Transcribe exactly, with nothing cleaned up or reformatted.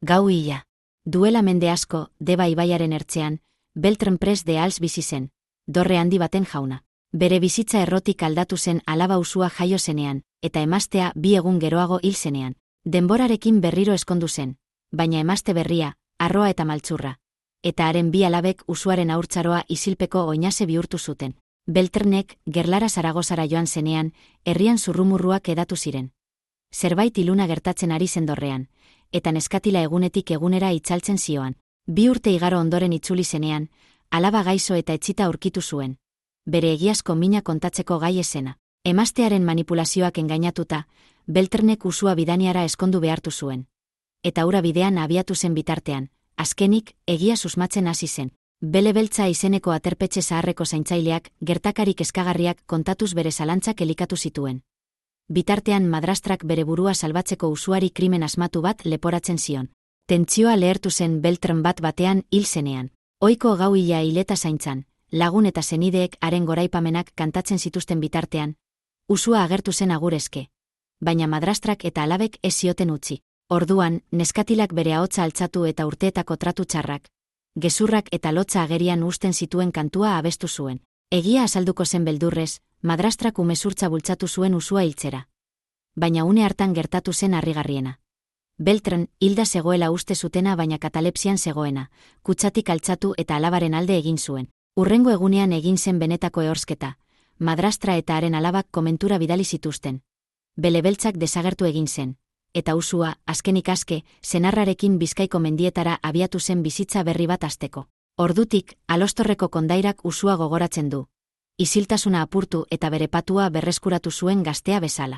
Gau hila. Duela mende asko, Deba ibaiaren ertzean, Beltran Pres de Als bizi zen, dorre handi baten jauna. Bere bizitza errotik aldatu zen alaba usua jaio zenean, eta emaztea bi egun geroago hil zenean. Denborarekin berriro eskondu zen, baina emazte berria, arroa eta maltzurra. Eta haren bi alabek usuaren haurtzaroa isilpeko oinase bihurtu zuten. Beltranek, Gerlara Zaragozara joan zenean, herrian zurrumurruak edatu ziren. Zerbait iluna gertatzen ari zen dorrean, eta neskatila egunetik egunera itzaltzen zioan. Bi urte igaro ondoren itzuli zenean, alaba gaizo eta etxita aurkitu zuen. Bere egiazko mina kontatzeko gai esena. Emaztearen manipulazioak engainatuta, Beltranek usua bidaniara eskondu behartu zuen. Eta hura bidean abiatu zen bitartean, azkenik, egia susmatzen hasi zen. Bele Beltza izeneko aterpetxe zaharreko zaintzaileak, gertakarik eskagarriak kontatuz bere zalantzak elikatu zituen. Bitartean madrastrak bere burua salbatzeko usuari krimen asmatu bat leporatzen zion. Tentsioa lehertu zen Beltran bat batean hil zenean. Ohiko gau hila hileta zaintzan, lagun eta senideek haren goraipamenak kantatzen zituzten bitartean, usua agertu zen agurezke. Baina madrastrak eta alabek ez zioten utzi. Orduan, neskatilak bere ahotsa altzatu eta urteetako tratu txarrak, gezurrak eta lotza agerian uzten zituen kantua abestu zuen. Egia azalduko zen beldurrez, madrastrak umezurtza bultzatu zuen usua hiltzera. Baina une hartan gertatu zen harrigarriena. Beltran, hilda zegoela uste zutena baina katalepsian zegoena, kutsatik altzatu eta alabaren alde egin zuen. Urrengo egunean egin zen benetako ehorsketa, madrastra eta haren alabak komentura bidali zituzten. Bele Beltzak desagertu egin zen, eta usua, azkenik aske, senarrarekin Bizkaiko mendietara abiatu zen bizitza berri bat hasteko. Ordutik, Alostorreko kondairak usua gogoratzen du. Isiltasuna apurtu eta bere patua berreskuratu zuen gaztea bezala.